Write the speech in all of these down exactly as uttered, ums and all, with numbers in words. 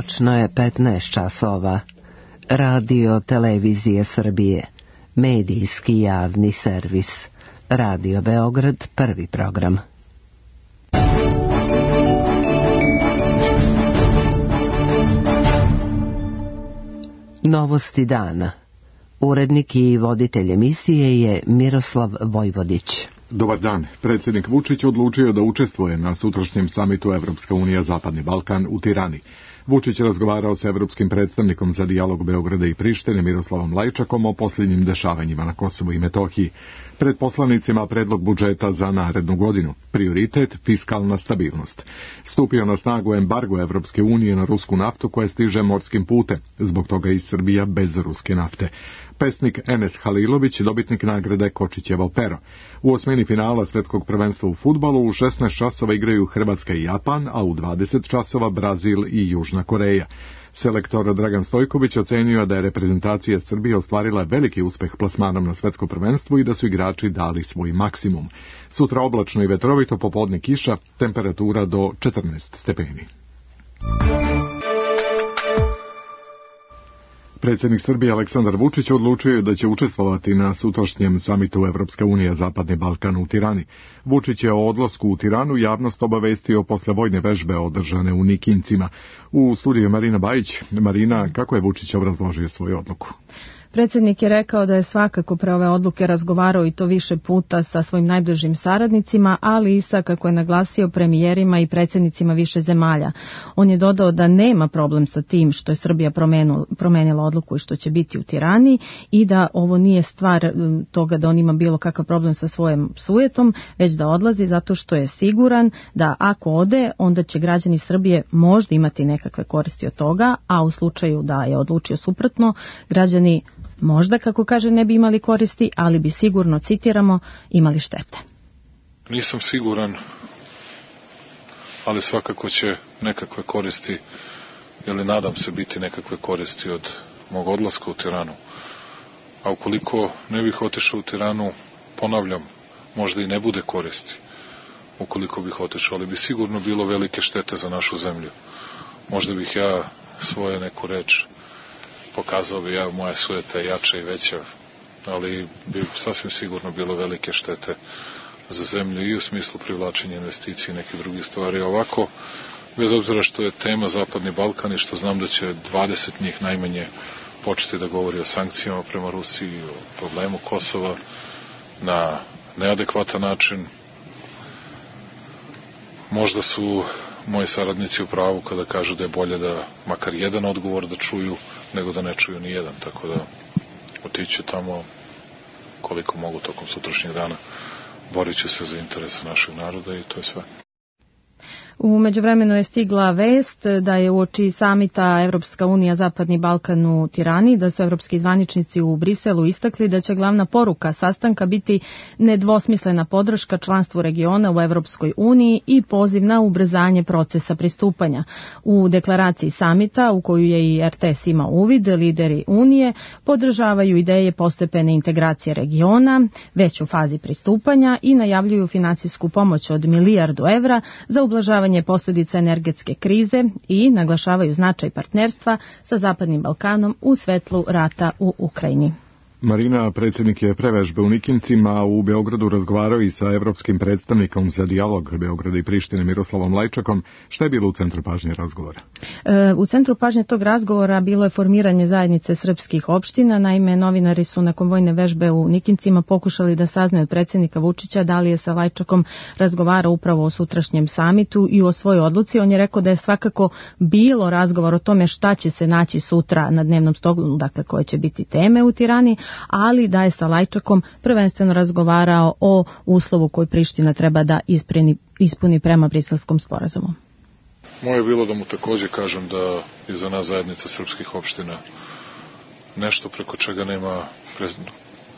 Tačno je petnaest časova. Radio Televizije Srbije. Medijski javni servis. Radio Beograd, prvi program. Novosti dana. Urednik i voditelj emisije je Miroslav Vojvodić. Dobar dan. Predsjednik Vučić odlučio da učestvuje na sutrašnjem samitu Evropska unija Zapadni Balkan u Tirani. Vučić razgovarao sa evropskim predstavnikom za dijalog Beograda i Prištine Miroslavom Lajčakom o posljednjim dešavanjima na Kosovu i Metohiji. Pred poslanicima predlog budžeta za narednu godinu. Prioritet fiskalna stabilnost. Stupio na snagu embargo Evropske unije na rusku naftu koja stiže morskim putem. Zbog toga i Srbija bez ruske nafte. Pesnik Enes Halilović, dobitnik nagrade Kočićevo pero. U osmini finala svjetskog prvenstva u fudbalu u šesnaest časova igraju Hrvatska i Japan, a u dvadeset časova Brazil i Južna Koreja. Selektor Dragan Stojković ocenio da je reprezentacija Srbije ostvarila veliki uspeh plasmanom na svjetsko prvenstvo i da su igrači dali svoj maksimum. Sutra oblačno i vetrovito, popodne kiša, temperatura do četrnaest stepeni. Predsjednik Srbije Aleksandar Vučić odlučio je da će učestvovati na sutrašnjem samitu Evropska unija Zapadni Balkan u Tirani. Vučić je o odlasku u Tiranu javnost obavestio posle vojne vežbe održane u Nikincima. U studiju Marina Bajić. Marina, kako je Vučić obrazložio svoju odluku? Predsjednik je rekao da je svakako pre ove odluke razgovarao i to više puta sa svojim najbližim saradnicima, ali i sa, kako je naglasio, premijerima i predsjednicima više zemalja. On je dodao da nema problem sa tim što je Srbija promenila odluku i što će biti u Tirani i da ovo nije stvar toga da on ima bilo kakav problem sa svojim sujetom, već da odlazi zato što je siguran da ako ode, onda će građani Srbije možda imati nekakve koristi od toga, a u slučaju da je odlučio suprotno, građani možda, kako kaže, ne bi imali koristi, ali bi sigurno, citiramo, imali štete. Nisam siguran, ali svakako će nekakve koristi, ili nadam se biti nekakve koristi od mog odlaska u Tiranu. A ukoliko ne bih otišao u Tiranu, ponavljam, možda i ne bude koristi. Ukoliko bih otišao, ali bi sigurno bilo velike štete za našu zemlju. Možda bih ja svoje neku reč pokazao bi ja, moja sujeta je jača i veća, ali bi sasvim sigurno bilo velike štete za zemlju i u smislu privlačenja investicije i neke druge stvari. Ovako, bez obzira što je tema Zapadni Balkan i što znam da će dvadeset njih najmanje početi da govori o sankcijama prema Rusiji, o problemu Kosova na neadekvatan način, možda su moji saradnici u pravu kada kažu da je bolje da makar jedan odgovor da čuju nego da ne čuju ni jedan, tako da otići tamo koliko mogu tokom sutrašnjeg dana, borit ću se za interese našeg naroda i to je sve. U međuvremenu je stigla vest da je uoči samita Evropska unija Zapadni Balkan u Tirani, da su evropski zvaničnici u Briselu istakli da će glavna poruka sastanka biti nedvosmislena podrška članstvu regiona u Evropskoj uniji i poziv na ubrzanje procesa pristupanja. U deklaraciji samita, u koju je i er te es imao uvid, lideri Unije podržavaju ideje postepene integracije regiona, već u fazi pristupanja i najavljuju finansijsku pomoć od milijardu evra za ublažavanje posljedica energetske krize i naglašavaju značaj partnerstva sa Zapadnim Balkanom u svetlu rata u Ukrajini. Marina, predsjednik je pre vežbe u Nikincima u Beogradu razgovarao i sa evropskim predstavnikom za dijalog Beograda i Prištine Miroslavom Lajčakom. Šta je bilo u centru pažnje razgovora? E, u centru pažnje tog razgovora bilo je formiranje zajednice srpskih opština. Naime, novinari su nakon vojne vežbe u Nikincima pokušali da saznaju od predsjednika Vučića da li je sa Lajčakom razgovarao upravo o sutrašnjem samitu i o svojoj odluci. On je rekao da je svakako bilo razgovor o tome šta će se naći sutra na dnevnom stolu, dakle koje će biti teme u Tirani, ali da je sa Lajčakom prvenstveno razgovarao o uslovu koji Priština treba da ispuni, ispuni prema Briselskom sporazumu. Moje je bilo da mu također kažem da je za nas zajednica srpskih opština nešto preko čega nema,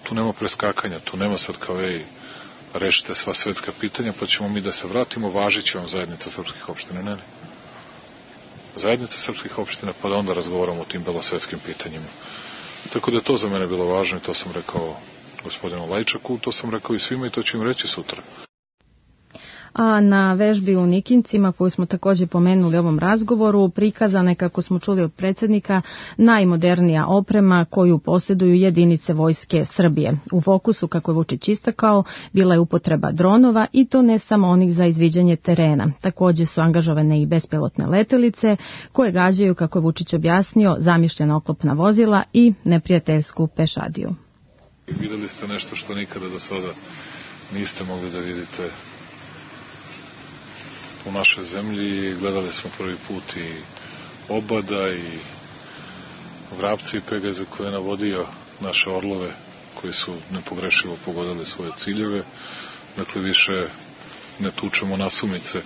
tu nema preskakanja, tu nema sad kao ej, rešite sva svetska pitanja pa ćemo mi da se vratimo, važit će vam zajednica srpskih opština. Ne, ne. Zajednica srpskih opština pa da onda razgovaramo o tim belosvetskim pitanjima. Tako da je to za mene bilo važno i to sam rekao gospodinu Lajčaku, to sam rekao i svima i to ću im reći sutra. A na vežbi u Nikincima, koju smo također pomenuli u ovom razgovoru, prikazana je, kako smo čuli od predsjednika, najmodernija oprema koju posjeduju jedinice vojske Srbije. U fokusu, kako je Vučić istakao, bila je upotreba dronova, i to ne samo onih za izviđanje terena. Također su angažovane i bespilotne letelice koje gađaju, kako je Vučić objasnio, zamišljena oklopna vozila i neprijateljsku pešadiju. Vidjeli ste nešto što nikada do sada niste mogli da vidite u našoj zemlji. Gledali smo prvi put i Obada i Vrapca i Pegaza koje je navodio naše orlove koji su nepogrešivo pogodili svoje ciljeve. Dakle, više ne tučemo nasumice.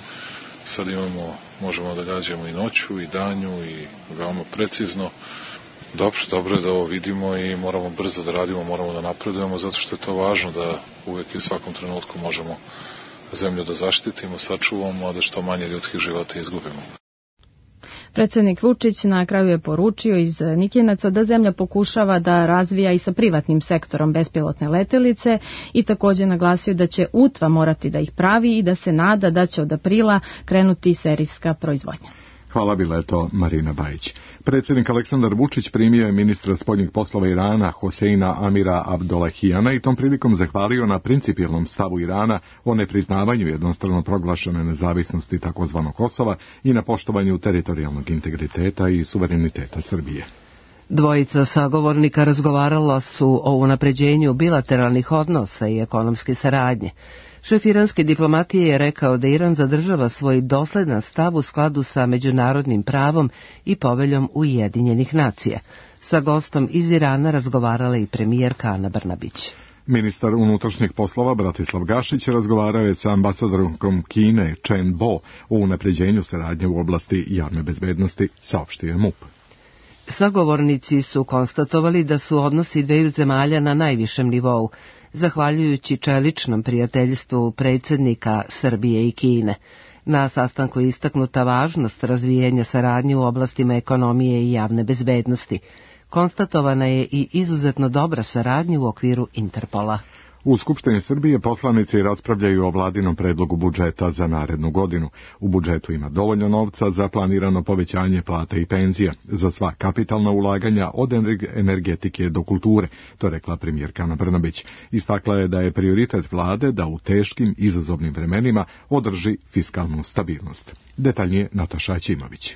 Sad imamo, možemo da gađamo i noću i danju i veoma precizno. Dobro, dobro je da ovo vidimo i moramo brzo da radimo, moramo da napredujemo, zato što je to važno da uvijek i u svakom trenutku možemo zemlju da zaštitimo, sačuvamo, a da što manje ljudskih života izgubimo. Predsjednik Vučić na kraju je poručio iz Nikinaca da zemlja pokušava da razvija i sa privatnim sektorom bespilotne letelice i također naglasio da će U T V A morati da ih pravi i da se nada da će od aprila krenuti serijska proizvodnja. Hvala, bila je to Marina Bajić. Predsjednik Aleksandar Vučić primio je ministra spoljnih poslova Irana Hoseina Amira Abdollahijana i tom prilikom zahvalio na principijelnom stavu Irana o nepriznavanju jednostrano proglašene nezavisnosti tzv. Kosova i na poštovanju teritorijalnog integriteta i suvereniteta Srbije. Dvojica sagovornika razgovarala su o unapređenju bilateralnih odnosa i ekonomske saradnje. Šef iranske diplomatije je rekao da Iran zadržava svoj dosledan stav u skladu sa međunarodnim pravom i poveljom Ujedinjenih nacija. Sa gostom iz Irana razgovarala i premijerka Ana Brnabić. Ministar unutrašnjih poslova Bratislav Gašić razgovarao je sa ambasadorkom Kine Chen Bo o unapređenju saradnje u oblasti javne bezbednosti, saopštio je M U P. Sagovornici su konstatovali da su odnosi dveju zemalja na najvišem nivou, zahvaljujući čeličnom prijateljstvu predsjednika Srbije i Kine. Na sastanku je istaknuta važnost razvijenja saradnje u oblastima ekonomije i javne bezbednosti. Konstatovana je i izuzetno dobra saradnja u okviru Interpola. U Skupštini Srbije poslanici raspravljaju o vladinom predlogu budžeta za narednu godinu. U budžetu ima dovoljno novca za planirano povećanje plata i penzija, za sva kapitalna ulaganja od energetike do kulture, to je rekla premijerka Ana Brnabić. Istakla je da je prioritet vlade da u teškim izazovnim vremenima održi fiskalnu stabilnost. Detaljnije Nataša Ćimović.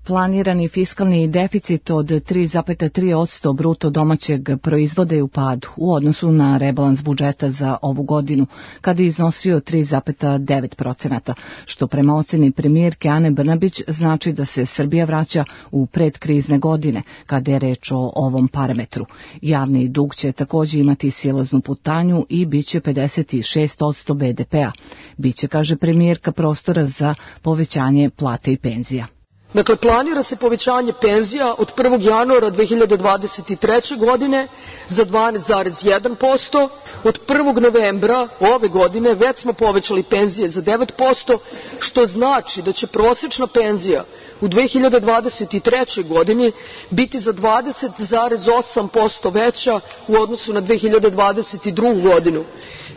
Planirani fiskalni deficit od tri zarez tri posto bruto domaćeg proizvoda je u padu u odnosu na rebalans budžeta za ovu godinu, kada je iznosio tri zarez devet posto, što prema oceni premijerke Ane Brnabić znači da se Srbija vraća u predkrizne godine, kada je reč o ovom parametru. Javni dug će također imati silaznu putanju i bit će pedeset šest posto be de pea. Biće, kaže premijerka, prostora za povećanje plate i penzija. Dakle, planira se povećanje penzija od prvog januara dve hiljade dvadeset treće. godine za dvanaest zarez jedan posto. Od prvog novembra ove godine već smo povećali penzije za devet posto, što znači da će prosječna penzija u dve hiljade dvadeset trećoj. godini biti za dvadeset zarez osam posto veća u odnosu na dve hiljade dvadeset drugu. godinu.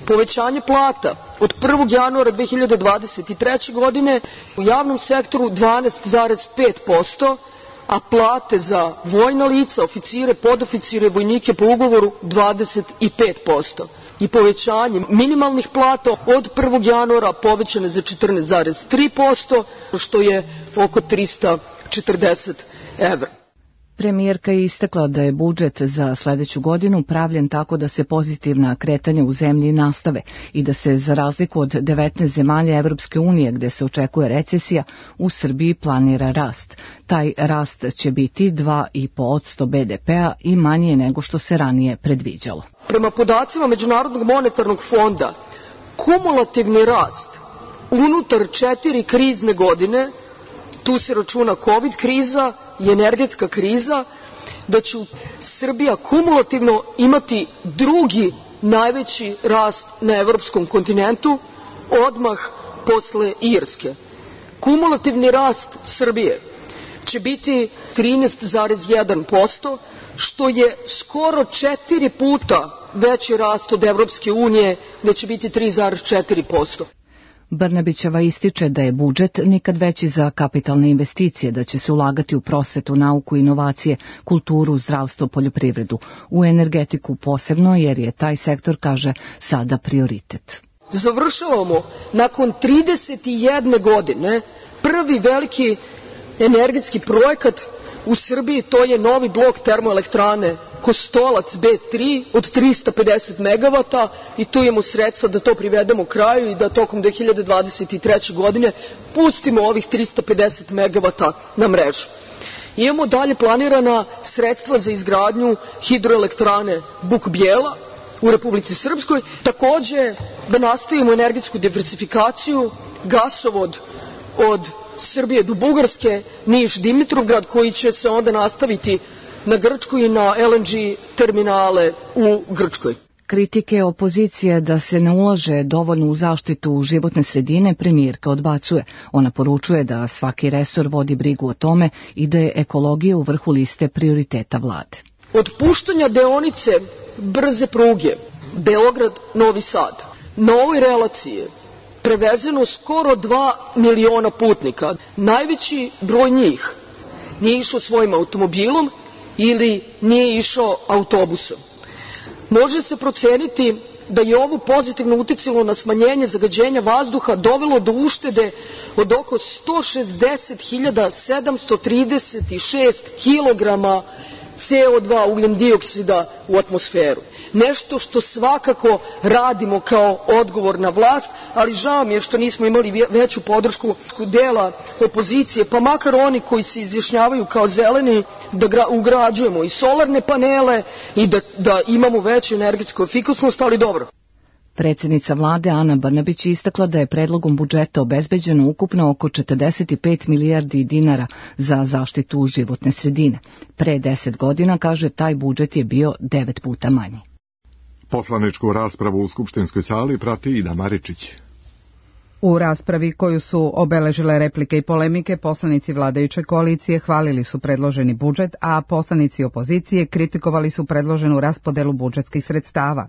Povećanje plata od prvog januara dve hiljade dvadeset treće. godine u javnom sektoru dvanaest zarez pet posto, a plate za vojna lica, oficire, podoficire, vojnike po ugovoru dvadeset pet posto. I povećanje minimalnih plata od prvog januara povećane za četrnaest zarez tri posto, što je oko trista četrdeset evra. Premijerka je istakla da je budžet za sljedeću godinu pravljen tako da se pozitivna kretanja u zemlji nastave i da se, za razliku od devetnaest zemalja Evropske unije gdje se očekuje recesija, u Srbiji planira rast. Taj rast će biti dva zarez pet posto be de pea i manje nego što se ranije predviđalo. Prema podacima Međunarodnog monetarnog fonda, kumulativni rast unutar četiri krizne godine, tu se računa COVID kriza i energetska kriza, da će Srbija kumulativno imati drugi najveći rast na evropskom kontinentu, odmah posle Irske. Kumulativni rast Srbije će biti trinaest zarez jedan posto, što je skoro četiri puta veći rast od Evropske unije, da će biti tri zarez četiri posto. Brnabićeva ističe da je budžet nikad veći za kapitalne investicije, da će se ulagati u prosvetu, nauku, inovacije, kulturu, zdravstvo, poljoprivredu, u energetiku posebno, jer je taj sektor, kaže, sada prioritet. Završavamo nakon trideset jedne godine prvi veliki energetski projekat u Srbiji, to je novi blok termoelektrane Kostolac B tri od trista pedeset megavata i tu imamo sredstva da to privedemo kraju i da tokom dve hiljade dvadeset treće. godine pustimo ovih trista pedeset megavata na mrežu. Imamo dalje planirana sredstva za izgradnju hidroelektrane Buk Bijela u Republici Srpskoj, takođe da nastavimo energetsku diversifikaciju, gasovod od Srbije do Bugarske, Niš-Dimitrovgrad, koji će se onda nastaviti na Grčku i na L N G terminale u Grčkoj. Kritike opozicije da se ne ulaže dovoljno u zaštitu životne sredine premijerka odbacuje. Ona poručuje da svaki resor vodi brigu o tome i da je ekologija u vrhu liste prioriteta vlade. Od puštanja deonice brze pruge Beograd-Novi Sad na ovoj relaciji prevezeno skoro dva miliona putnika. Najveći broj njih nije išao svojim automobilom ili nije išao autobusom. Može se proceniti da je ovo pozitivno uticalo na smanjenje zagađenja vazduha, dovelo do uštede od oko sto šezdeset hiljada sedamsto trideset šest kilograma C O dva ugljen-dioksida u atmosferu. Nešto što svakako radimo kao odgovorna vlast, ali žao mi je što nismo imali veću podršku dela opozicije, pa makar oni koji se izjašnjavaju kao zeleni, da ugrađujemo i solarne panele i da, da imamo veću energetsku efikasnost, ali dobro. Predsjednica vlade Ana Brnabić istakla da je predlogom budžeta obezbeđeno ukupno oko četrdeset pet milijardi dinara za zaštitu životne sredine. Pre deset godina, kaže, taj budžet je bio devet puta manji. Poslaničku raspravu u skupštinskoj sali prati Ida Maričić. U raspravi koju su obeležile replike i polemike, poslanici vladajuće koalicije hvalili su predloženi budžet, a poslanici opozicije kritikovali su predloženu raspodelu budžetskih sredstava.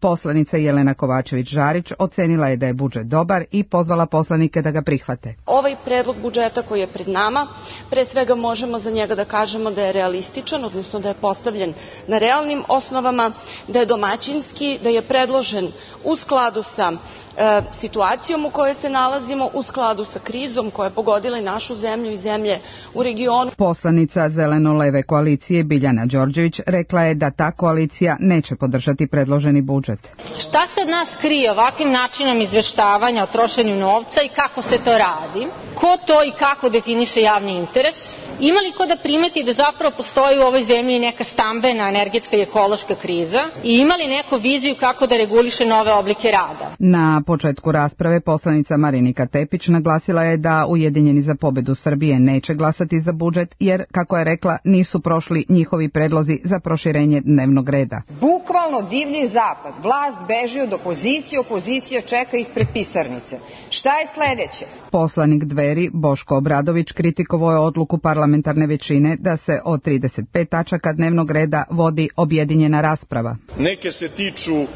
Poslanica Jelena Kovačević-Žarić ocenila je da je budžet dobar i pozvala poslanike da ga prihvate. Ovaj predlog budžeta koji je pred nama, pre svega možemo za njega da kažemo da je realističan, odnosno da je postavljen na realnim osnovama, da je domaćinski, da je predložen u skladu sa e, situacijom u kojoj se nalazimo, u skladu sa krizom koja je pogodila i našu zemlju i zemlje u regionu. Poslanica Zeleno-leve koalicije Biljana Đorđević rekla je da ta koalicija neće podržati predloženi budžet. Šta se od nas krije ovakvim načinom izveštavanja o trošenju novca i kako se to radi? Ko to i kako definiše javni interes? Ima li ko da primeti da zapravo postoji u ovoj zemlji neka stambena, energetska i ekološka kriza i ima li neku viziju kako da reguliše nove oblike rada? Na početku rasprave poslanica Marinika Tepić naglasila je da Ujedinjeni za pobedu Srbije neće glasati za budžet jer, kako je rekla, nisu prošli njihovi predlozi za proširenje dnevnog reda. Bukvalno divlji zapad, vlast beži od opozicije, opozicija čeka ispred pisarnice. Šta je sledeće? Poslanik Dveri Boško Obradović kritikovao je odluku parlamentarne većine da se od trideset pet tačaka dnevnog reda vodi objedinjena rasprava. Neke se tiču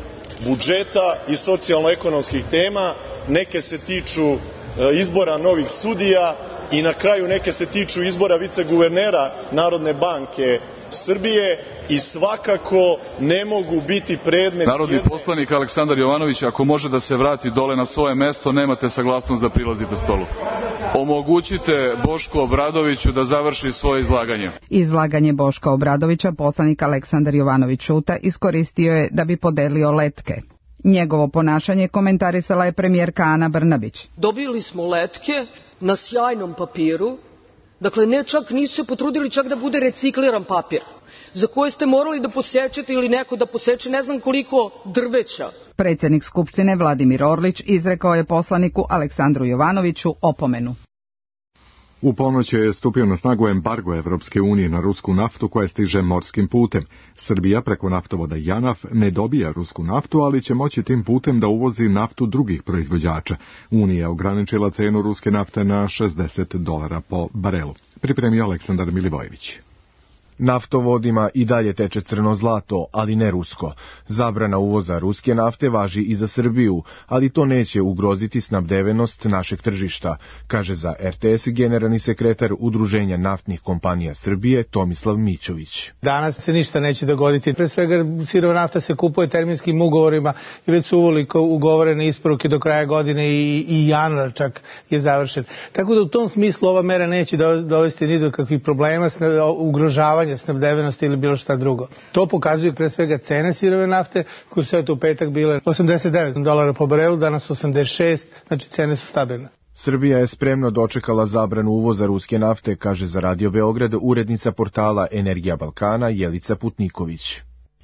budžeta i socijalno-ekonomskih tema, neke se tiču izbora novih sudija i na kraju neke se tiču izbora viceguvernera Narodne banke Srbije i svakako ne mogu biti predmet... Narodni poslanik Aleksandar Jovanović, ako može da se vrati dole na svoje mesto, nemate saglasnost da prilazite stolu. Omogućite Bošku Obradoviću da završi svoje izlaganje. Izlaganje Boška Obradovića poslanik Aleksandar Jovanović Šuta iskoristio je da bi podelio letke. Njegovo ponašanje komentarisala je premijerka Ana Brnabić. Dobili smo letke na sjajnom papiru, dakle ne čak nisu se potrudili čak da bude recikliran papir, za koje ste morali da posečete ili neko da poseče ne znam koliko drveća. Predsjednik Skupštine Vladimir Orlić izrekao je poslaniku Aleksandru Jovanoviću opomenu. U ponoć je stupio na snagu embargo Evropske unije na rusku naftu koja stiže morskim putem. Srbija preko naftovoda JANAF ne dobija rusku naftu, ali će moći tim putem da uvozi naftu drugih proizvođača. Unija je ograničila cenu ruske nafte na šezdeset dolara po barelu. Pripremio Aleksandar Milivojević. Naftovodima i dalje teče crno zlato, ali ne rusko. Zabrana uvoza ruske nafte važi i za Srbiju, ali to neće ugroziti snabdevenost našeg tržišta, kaže za er te es generalni sekretar Udruženja naftnih kompanija Srbije Tomislav Mićović. Danas se ništa neće dogoditi. Pre svega sirova nafta se kupuje terminskim ugovorima i već su uvoliko ugovorene isporuke do kraja godine i, i januar čak je završen. Tako da u tom smislu ova mera neće dovesti ni do kakvih problema, ugrožavanja snabdevenosti ili bilo šta drugo. To pokazuju pre svega cene sirove nafte koje su eto u petak bile osamdeset devet dolara po barelu, danas osamdeset šest, znači cene su stabilne. Srbija je spremno dočekala zabranu uvoza ruske nafte, kaže za Radio Beograd urednica portala Energija Balkana Jelica Putniković.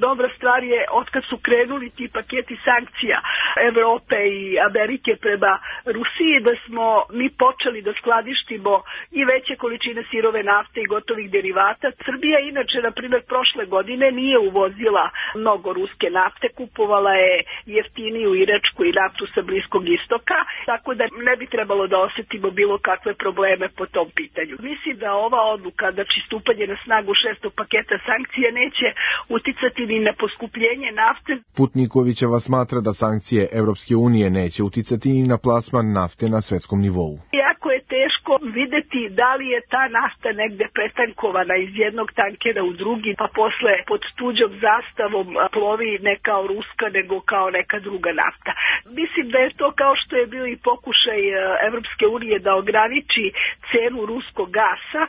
Dobra stvar je otkad su krenuli ti paketi sankcija Evrope i Amerike prema Rusiji da smo mi počeli da skladištimo i veće količine sirove nafte i gotovih derivata. Srbija inače, na primjer, prošle godine nije uvozila mnogo ruske nafte, kupovala je jeftiniju iračku i naftu sa Bliskog istoka, tako da ne bi trebalo da osetimo bilo kakve probleme po tom pitanju. Mislim da ova odluka, znači stupanje na snagu šestog paketa sankcija, neće uticati ni na poskupljenje nafte. Putnikovićeva smatra da sankcije Evropske unije neće uticati i na plasman nafte na svetskom nivou. Jako je teško videti da li je ta nafta negde pretankovana iz jednog tankera u drugi, pa posle pod tuđom zastavom plovi ne kao ruska, nego kao neka druga nafta. Mislim da je to kao što je bio i pokušaj Evropske unije da ograniči cenu ruskog gasa,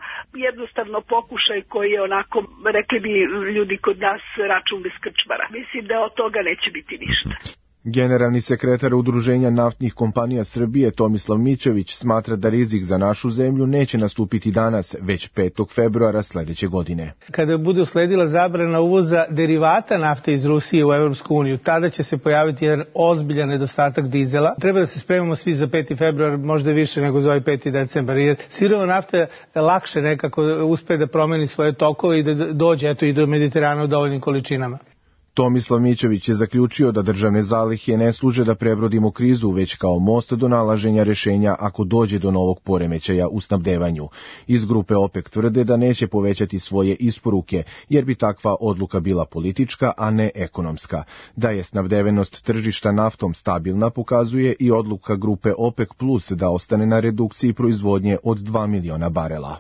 jednostavno pokušaj koji je onako, rekli bi ljudi kod nas, račun bez krčmara. Mislim da od toga neće biti ništa. Generalni sekretar Udruženja naftnih kompanija Srbije Tomislav Mićović smatra da rizik za našu zemlju neće nastupiti danas, već petog februara sledeće godine. Kada bude usledila zabrana uvoza derivata nafte iz Rusije u Evropsku uniju, tada će se pojaviti jedan ozbiljan nedostatak dizela. Treba da se spremamo svi za peti februar, možda više nego za ovaj peti decembar, jer sirova nafta lakše nekako uspe da promeni svoje tokove i da dođe eto i do Mediterana u dovoljnim količinama. Tomislav Mićović je zaključio da državne zalihe ne služe da prebrodimo krizu, već kao most do nalaženja rešenja ako dođe do novog poremećaja u snabdevanju. Iz grupe OPEC tvrde da neće povećati svoje isporuke, jer bi takva odluka bila politička, a ne ekonomska. Da je snabdevenost tržišta naftom stabilna pokazuje i odluka grupe OPEC plus da ostane na redukciji proizvodnje od dva miliona barela.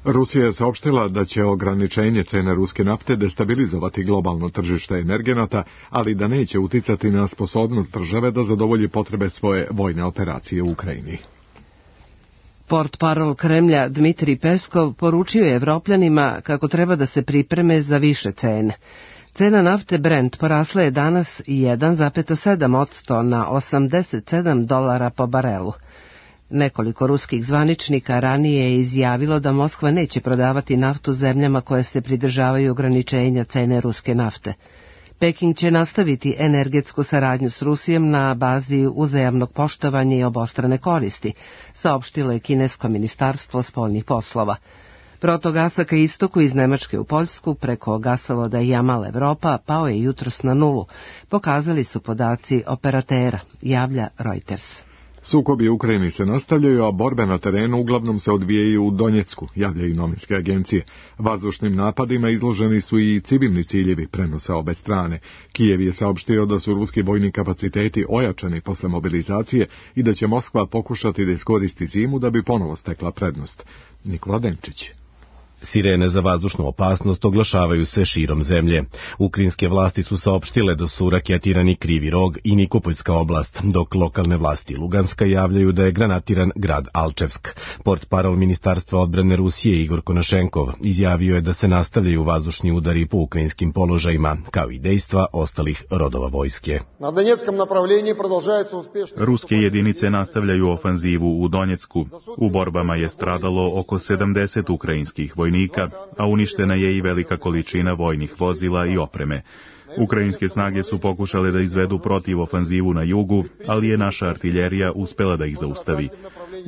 Rusija je saopštila da će ograničenje cene ruske nafte destabilizovati globalno tržište energenata, ali da neće uticati na sposobnost države da zadovolji potrebe svoje vojne operacije u Ukrajini. Portparol Kremlja Dmitrij Peskov poručio je Evropljanima kako treba da se pripreme za više cene. Cena nafte Brent porasla je danas jedan zarez sedam posto na osamdeset sedam dolara po barelu. Nekoliko ruskih zvaničnika ranije je izjavilo da Moskva neće prodavati naftu zemljama koje se pridržavaju ograničenja cene ruske nafte. Peking će nastaviti energetsku saradnju s Rusijom na bazi uzajamnog poštovanja i obostrane koristi, saopštilo je kinesko ministarstvo spoljnih poslova. Protok gasa ka istoku iz Nemačke u Poljsku preko gasovoda Jamal Evropa pao je jutros na nulu, pokazali su podaci operatera, javlja Reuters. Sukobi u Ukrajini se nastavljaju, a borbe na terenu uglavnom se odvijaju u Donjecku, javljaju novinske agencije. Vazdušnim napadima izloženi su i civilni ciljevi, prenose obe strane. Kijev je saopštio da su ruski vojni kapaciteti ojačani posle mobilizacije i da će Moskva pokušati da iskoristi zimu da bi ponovo stekla prednost. Nikola Denčić. Sirene za vazdušnu opasnost oglašavaju se širom zemlje. Ukrajinske vlasti su saopštile da su raketirani Krivi Rog i Nikopoljska oblast, dok lokalne vlasti Luganska javljaju da je granatiran grad Alčevsk. Portparol Ministarstva odbrane Rusije Igor Konošenkov izjavio je da se nastavljaju vazdušni udari po ukrajinskim položajima, kao i dejstva ostalih rodova vojske. Ruske jedinice nastavljaju ofanzivu u Donjecku. U borbama je stradalo oko sedamdeset ukrajinskih vojnika, a uništena je i velika količina vojnih vozila i opreme. Ukrajinske snage su pokušale da izvedu protiv ofanzivu na jugu, ali je naša artiljerija uspela da ih zaustavi.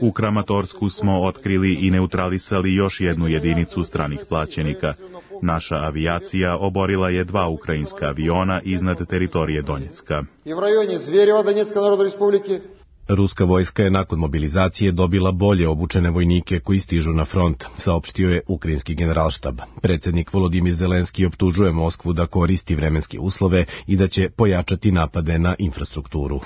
U Kramatorsku smo otkrili i neutralisali još jednu jedinicu stranih plaćenika. Naša avijacija oborila je dva ukrajinska aviona iznad teritorije Donjecka. Ruska vojska je nakon mobilizacije dobila bolje obučene vojnike koji stižu na front, saopštio je ukrajinski generalštab. Predsjednik Volodimir Zelenski optužuje Moskvu da koristi vremenske uslove i da će pojačati napade na infrastrukturu.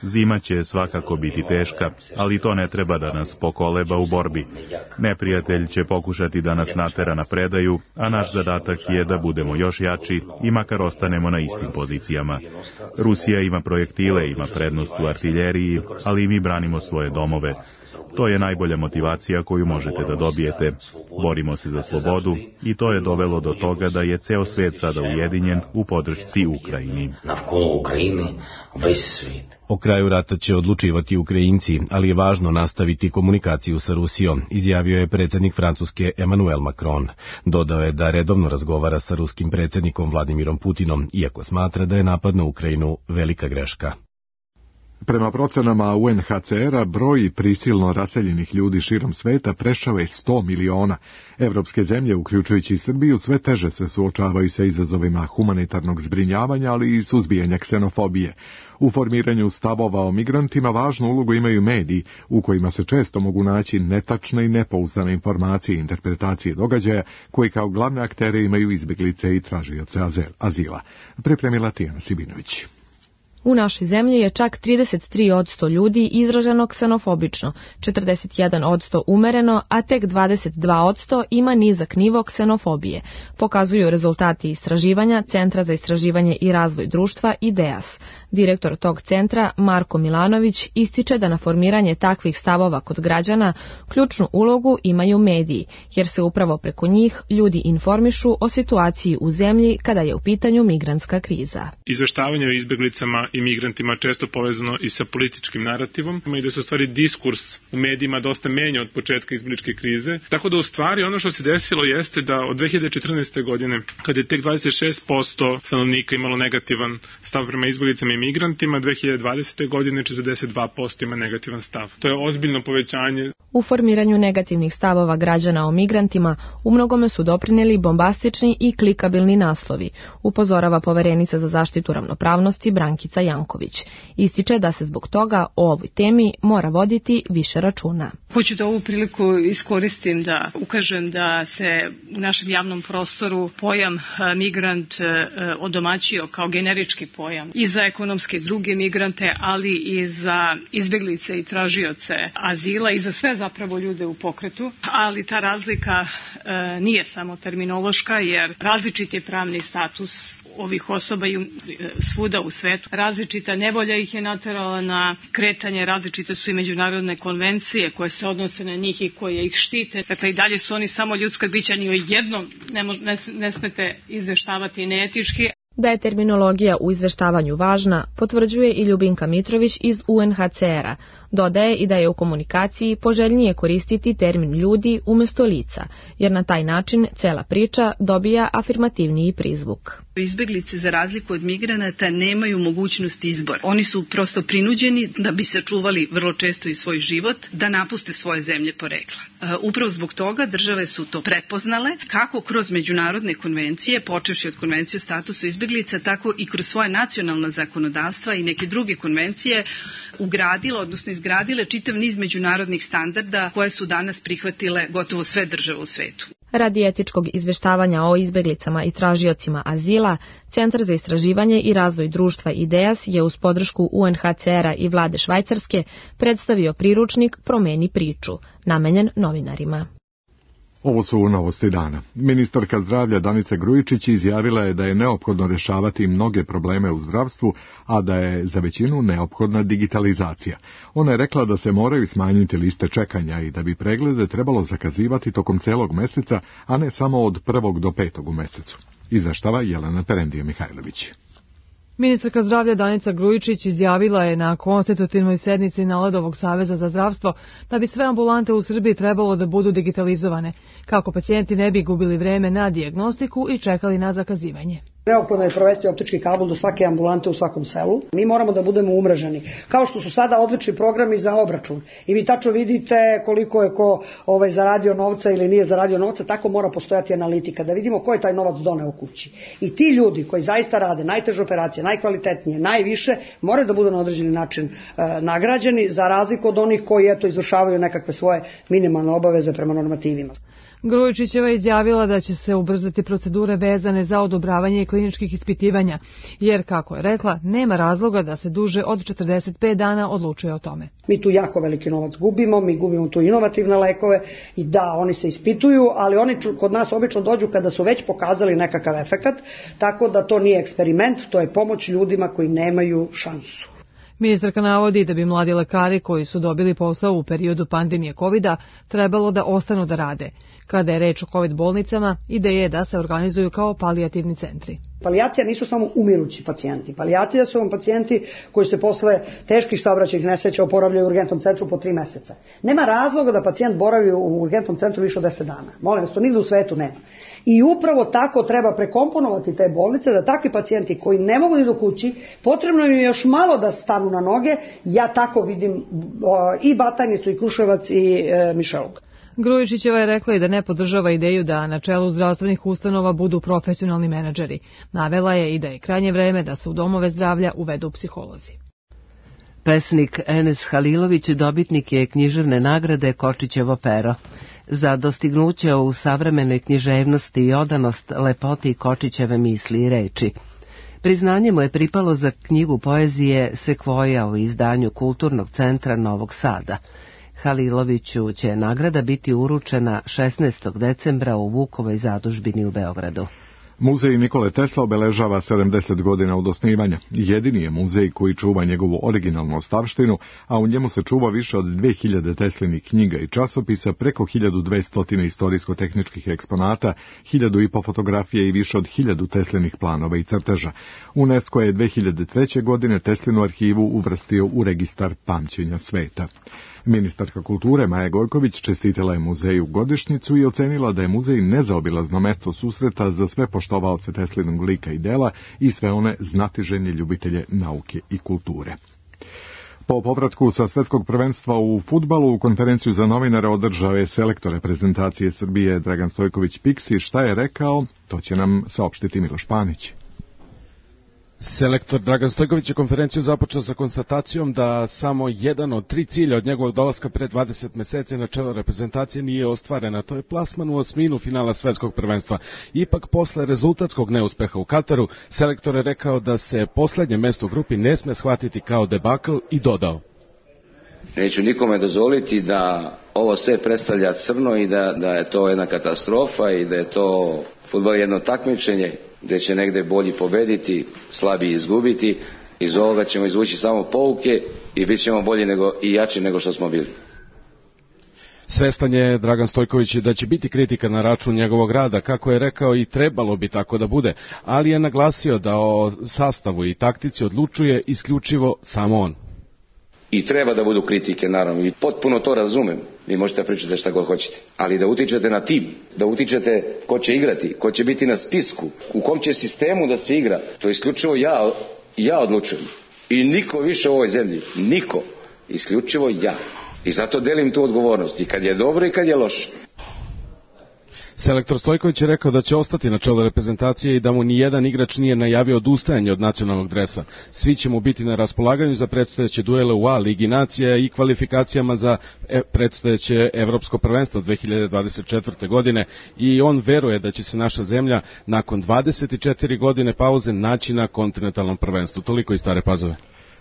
Zima će svakako biti teška, ali to ne treba da nas pokoleba u borbi. Neprijatelj će pokušati da nas natera na predaju, a naš zadatak je da budemo još jači i makar ostanemo na istim pozicijama. Rusija ima projektile, ima prednost u artiljeriji, ali i mi branimo svoje domove. To je najbolja motivacija koju možete da dobijete. Borimo se za slobodu i to je dovelo do toga da je ceo svet sada ujedinjen u podršci Ukrajini. O kraju rata će odlučivati Ukrajinci, ali je važno nastaviti komunikaciju sa Rusijom, izjavio je predsjednik Francuske Emmanuel Macron. Dodao je da redovno razgovara sa ruskim predsjednikom Vladimirom Putinom, iako smatra da je napad na Ukrajinu velika greška. Prema procenama U N H C R-a, broj prisilno raseljenih ljudi širom sveta prešao je sto miliona. Evropske zemlje, uključujući i Srbiju, sve teže se suočavaju sa izazovima humanitarnog zbrinjavanja, ali i suzbijanja ksenofobije. U formiranju stavova o migrantima važnu ulogu imaju mediji, u kojima se često mogu naći netačne i nepouzdane informacije i interpretacije događaja, koji kao glavne aktere imaju izbjeglice i tražioce azila. Pripremila Tijana Sibinović. U našoj zemlji je čak trideset tri posto ljudi izraženo ksenofobično, četrdeset jedan posto umereno, a tek dvadeset dva posto ima nizak nivo ksenofobije, pokazuju rezultati istraživanja Centra za istraživanje i razvoj društva I D E A S. Direktor tog centra, Marko Milanović, ističe da na formiranje takvih stavova kod građana ključnu ulogu imaju mediji, jer se upravo preko njih ljudi informišu o situaciji u zemlji kada je u pitanju migrantska kriza. Izveštavanje o izbjeglicama i migrantima često povezano i sa političkim narativom i da se u stvari diskurs u medijima dosta menja od početka izbjegličke krize. Tako da u stvari ono što se desilo jeste da od dve hiljade četrnaeste. godine, kada je tek dvadeset šest posto stanovnika imalo negativan stav prema izbjeglicama i migrantima, dve hiljade dvadesete. godine četrdeset dva posto ima negativan stav. To je ozbiljno povećanje. U formiranju negativnih stavova građana o migrantima u mnogome su doprinijeli bombastični i klikabilni naslovi, upozorava poverenica za zaštitu ravnopravnosti Brankica Janković. Ističe da se zbog toga o ovoj temi mora voditi više računa. Hoću da ovu priliku iskoristim da ukažem da se u našem javnom prostoru pojam migrant odomaćio kao generički pojam i za ekonomske druge migrante, ali i za izbjeglice i tražioce azila i za sve zapravo ljude u pokretu. Ali ta razlika e, nije samo terminološka, jer različit je pravni status ovih osoba i svuda u svetu. Različita nevolja ih je naterala na kretanje, različite su i međunarodne konvencije koje se odnose na njih i koje ih štite. Dakle, i dalje su oni samo ljudska bića, ni o jednom ne, ne, ne smete izveštavati neetički. Da je terminologija u izveštavanju važna, potvrđuje i Ljubinka Mitrović iz U N H C R-a. Dodaje i da je u komunikaciji poželjnije koristiti termin ljudi umjesto lica, jer na taj način cela priča dobija afirmativniji prizvuk. Izbjeglice, za razliku od migranata, nemaju mogućnost izbora. Oni su prosto prinuđeni da bi sačuvali vrlo često i svoj život, da napuste svoje zemlje porekla. Upravo zbog toga države su to prepoznale, kako kroz međunarodne konvencije, počevši od konvencije o statusu izbjeglica, tako i kroz svoje nacionalna zakonodavstva i neke druge konvencije ugradile, odnosno izgradile čitav niz međunarodnih standarda koje su danas prihvatile gotovo sve države u svetu. Radi etičkog izveštavanja o izbjeglicama i tražiocima azila, Centar za istraživanje i razvoj društva I D E A S je uz podršku U N H C R-a i vlade Švajcarske predstavio priručnik Promeni priču, namenjen novinarima. Ovo su novosti dana. Ministarka zdravlja Danica Grujičić izjavila je da je neophodno rješavati mnoge probleme u zdravstvu, a da je za većinu neophodna digitalizacija. Ona je rekla da se moraju smanjiti liste čekanja i da bi preglede trebalo zakazivati tokom celog meseca, a ne samo od prvog do petog u mesecu. Izveštava Jelena Perendija Mihajlović. Ministarka zdravlja Danica Grujičić izjavila je na konstitutivnoj sednici Naledovog saveza za zdravstvo da bi sve ambulante u Srbiji trebalo da budu digitalizovane, kako pacijenti ne bi gubili vreme na dijagnostiku i čekali na zakazivanje. Neophodno je provesti optički kabel do svake ambulante u svakom selu. Mi moramo da budemo umreženi. Kao što su sada odlični programi za obračun. I vi tačno vidite koliko je ko ovaj, zaradio novca ili nije zaradio novca, tako mora postojati analitika, da vidimo ko je taj novac doneo kući. I ti ljudi koji zaista rade najteže operacije, najkvalitetnije, najviše, moraju da budu na određeni način e, nagrađeni, za razliku od onih koji eto izvršavaju nekakve svoje minimalne obaveze prema normativima. Grujičićeva je izjavila da će se ubrzati procedure vezane za odobravanje kliničkih ispitivanja, jer, kako je rekla, nema razloga da se duže od četrdeset pet dana odlučuje o tome. Mi tu jako veliki novac gubimo, mi gubimo tu inovativne lekove i da, oni se ispituju, ali oni kod nas obično dođu kada su već pokazali nekakav efekat, tako da to nije eksperiment, to je pomoć ljudima koji nemaju šansu. Ministarka navodi da bi mladi lekari koji su dobili posao u periodu pandemije kovida trebalo da ostanu da rade. Kada je reč o kovid bolnicama, ideja je da se organizuju kao palijativni centri. Palijacija nisu samo umirući pacijenti. Palijacija su vam pacijenti koji se posle teških saobraćajnih nesreća oporavljaju u urgentnom centru po tri meseca. Nema razloga da pacijent boravi u urgentnom centru više od deset dana. Molim vas, to nigde u svetu nema. I upravo tako treba prekomponovati te bolnice, da takvi pacijenti koji ne mogu ni do kući, potrebno im je još malo da stanu na noge. Ja tako vidim i Batajnicu, i Kruševac, i e, Mišelog. Grujičićeva je rekla i da ne podržava ideju da na čelu zdravstvenih ustanova budu profesionalni menadžeri. Navela je i da je krajnje vreme da se u domove zdravlja uvedu psiholozi. Pesnik Enes Halilović dobitnik je književne nagrade Kočićevo pero. Za dostignuće u savremenoj književnosti i odanost lepoti Kočićeve misli i reči. Priznanje mu je pripalo za knjigu poezije Sekvoja u izdanju Kulturnog centra Novog Sada. Haliloviću će nagrada biti uručena šesnaestog decembra u Vukovoj zadužbini u Beogradu. Muzej Nikole Tesla obeležava sedamdeset godina od osnivanja. Jedini je muzej koji čuva njegovu originalnu ostavštinu, a u njemu se čuva više od dve hiljade Teslinih knjiga i časopisa, preko hiljadu dvesta istorijsko-tehničkih eksponata, hiljadu i po fotografije i više od hiljadu Teslinih planova i crteža. UNESCO je dve hiljade treće. godine Teslinu arhivu uvrstio u registar pamćenja sveta. Ministarka kulture Maja Gojković čestitala je muzeju godišnjicu i ocenila da je muzej nezaobilazno mesto susreta za sve poštovaoce Teslinog lika i dela i sve one znatiželjne ljubitelje nauke i kulture. Po povratku sa svetskog prvenstva u fudbalu, konferenciju za novinare održao je selektor reprezentacije Srbije Dragan Stojković Piksi. Šta je rekao, to će nam saopštiti Miloš Panić. Selektor Dragan Stojković je konferenciju započeo sa konstatacijom da samo jedan od tri cilja od njegovog dolaska pre dvadeset meseci na čelo reprezentacije nije ostvarena. To je plasman u osminu finala svetskog prvenstva. Ipak, posle rezultatskog neuspeha u Kataru, selektor je rekao da se poslednje mesto u grupi ne sme shvatiti kao debakl i dodao: neću nikome dozvoliti da ovo sve predstavlja crno i da, da je to jedna katastrofa i da je to fudbal jedno takmičenje gde će negde bolji pobediti, slabiji izgubiti. Iz ovoga ćemo izvući samo pouke i bit ćemo bolji nego, i jači nego što smo bili. Svestan je Dragan Stojković da će biti kritika na račun njegovog rada, kako je rekao, i trebalo bi tako da bude, ali je naglasio da o sastavu i taktici odlučuje isključivo samo on. I treba da budu kritike, naravno, i potpuno to razumem. Vi možete pričati šta god hoćete, ali da utičete na tim, da utičete ko će igrati, ko će biti na spisku, u kom će sistemu da se igra, to isključivo ja, ja odlučujem. I niko više u ovoj zemlji, niko, isključivo ja. I zato delim tu odgovornost, i kad je dobro i kad je loše. Selektor Stojković je rekao da će ostati na čelu reprezentacije i da mu ni jedan igrač nije najavio odustajanje od nacionalnog dresa. Svi će mu biti na raspolaganju za predstojeće duele u A Ligi nacija i kvalifikacijama za predstojeće evropsko prvenstvo dve hiljade dvadeset četvrte. godine i on veruje da će se naša zemlja nakon dvadeset četiri godine pauze naći na kontinentalnom prvenstvu. Toliko iz Stare Pazove.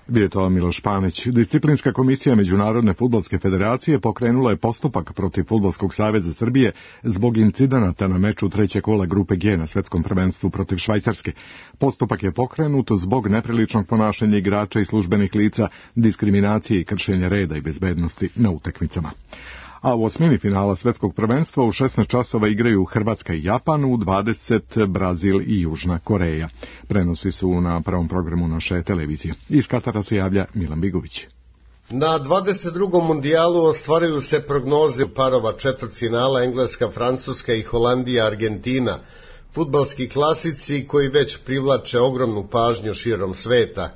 Bio to Miloš Panić. Disciplinska komisija Međunarodne fudbalske federacije pokrenula je postupak protiv Fudbalskog saveza Srbije zbog incidenata na meču treće kola grupe G na svetskom prvenstvu protiv Švajcarske. Postupak je pokrenut zbog nepriličnog ponašanja igrača i službenih lica, diskriminacije i kršenja reda i bezbednosti na utakmicama. A u osmini finala svetskog prvenstva u šesnaest časova igraju Hrvatska i Japan, u dvadeset Brazil i Južna Koreja. Prenosi su na prvom programu naše televizije. Iz Katara se javlja Milan Bigović. Na dvadeset drugom mundijalu ostvaruju se prognoze parova četvrtfinala Engleska, Francuska i Holandija, Argentina. fudbalski klasici koji već privlače ogromnu pažnju širom sveta.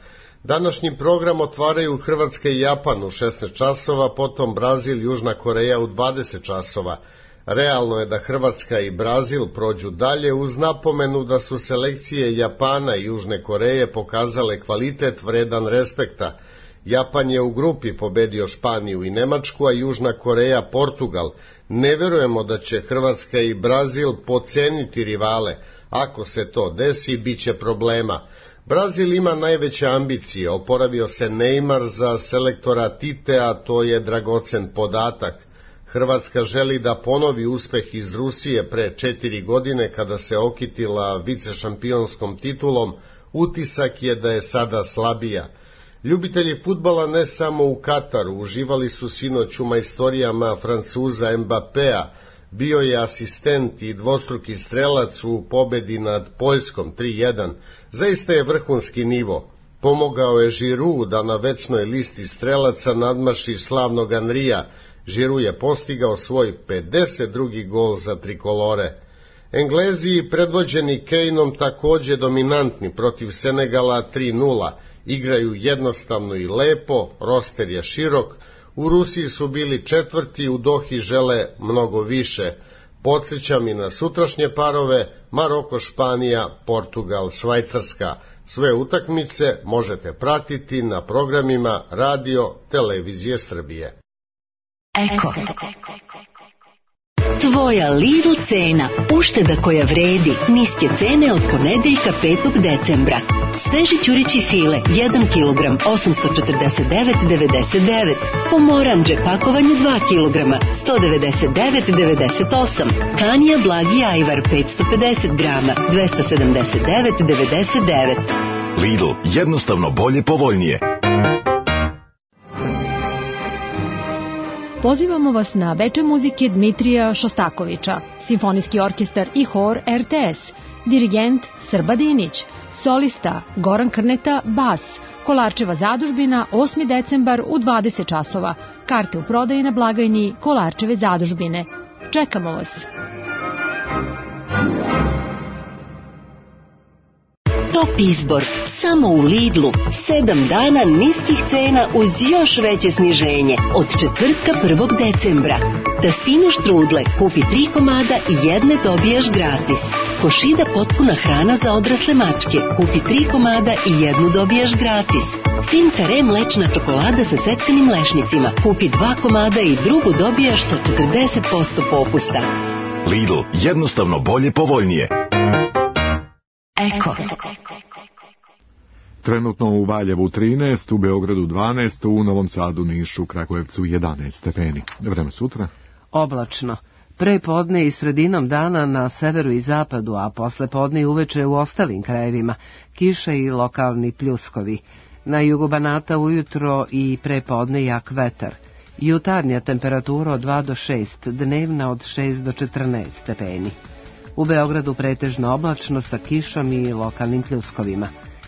Današnji program otvaraju Hrvatska i Japan u šesnaest časova, potom Brazil i Južna Koreja u dvadeset časova. Realno je da Hrvatska i Brazil prođu dalje uz napomenu da su selekcije Japana i Južne Koreje pokazale kvalitet vredan respekta. Japan je u grupi pobedio Španiju i Nemačku, a Južna Koreja Portugal. Ne verujemo da će Hrvatska i Brazil podceniti rivale. Ako se to desi, bit će problema. Brazil ima najveće ambicije, oporavio se Neymar za selektora Tite, a to je dragocen podatak. Hrvatska želi da ponovi uspeh iz Rusije pre četiri godine kada se okitila vicešampionskom titulom, utisak je da je sada slabija. Ljubitelji fudbala ne samo u Kataru uživali su sinoć u majstorijama Francuza Mbappéa, bio je asistent i dvostruki strelac u pobedi nad Poljskom tri jedan. Zaista je vrhunski nivo. Pomogao je Giroud da na večnoj listi strelaca nadmaši slavnog Henrya. Giroud je postigao svoj pedeset drugi gol za trikolore. Englezi predvođeni Kaneom takođe dominantni protiv Senegala tri nula. Igraju jednostavno i lepo, roster je širok. U Rusiji su bili četvrti, u Dohi žele mnogo više. Podsjećam i na sutrašnje parove Maroko, Španija, Portugal, Švajcarska. Sve utakmice možete pratiti na programima Radio Televizije Srbije. Eko. Tvoja Lidl cena, ušteda koja vredi, niske cene od ponedeljka petog decembra. Sveži ćurići file, jedan kilogram, osamsto četrdeset devet devedeset devet. Pomoranđe, pakovanje dva kilograma, sto devedeset devet devedeset osam. Kanija blagi ajvar, petsto pedeset grama, dvesta sedamdeset devet devedeset devet. Lidl, jednostavno bolje, povoljnije. Pozivamo vas na veče muzike Dmitrija Šostakovića, simfonijski orkestar i hor er te es, dirigent Srba Dinić, solista Goran Krneta, bas, Kolarčeva zadužbina, osmi decembar u dvadeset časova, karte u prodaji na blagajni Kolarčeve zadužbine. Čekamo vas! Top izbor, samo u Lidlu, sedam dana niskih cena uz još veće sniženje, od četvrtka prvog decembra. Tastinu štrudle, kupi tri komada i jedne dobijaš gratis. Košida potpuna hrana za odrasle mačke, kupi tri komada i jednu dobijaš gratis. Fin kare mlečna čokolada sa seckanim mlešnicima, kupi dva komada i drugu dobijaš sa četrdeset posto popusta. Lidl, jednostavno bolje, povoljnije. Eko. Trenutno u Valjevu trinaest, u Beogradu dvanaest, u Novom Sadu, Nišu, Kragujevcu jedanaest stepeni. Vreme sutra? Oblačno. Pre podne i sredinom dana na severu i zapadu, a posle podne i uveče u ostalim krajevima, kiša i lokalni pljuskovi. Na jugu Banata ujutro i pre podne jak vetar. Jutarnja temperatura od dva do šest, dnevna od šest do četrnaest stepeni. U Beogradu pretežno oblačno sa kišom i lokalnim pljuskovima.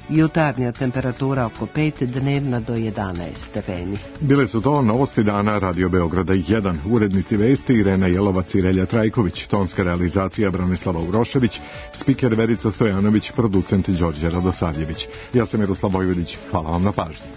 Jutarnja temperatura oko pet, dnevna do jedanaest stepeni. Bile su to novosti dana Radio Beograda jedan. Urednici vesti Irena Jelovac i Relja Trajković, tonska realizacija Branislava Urošević, spiker Verica Stojanović, producent Đorđe Radosavljević. Ja sam Miroslav Vojvodić, hvala vam na pažnji.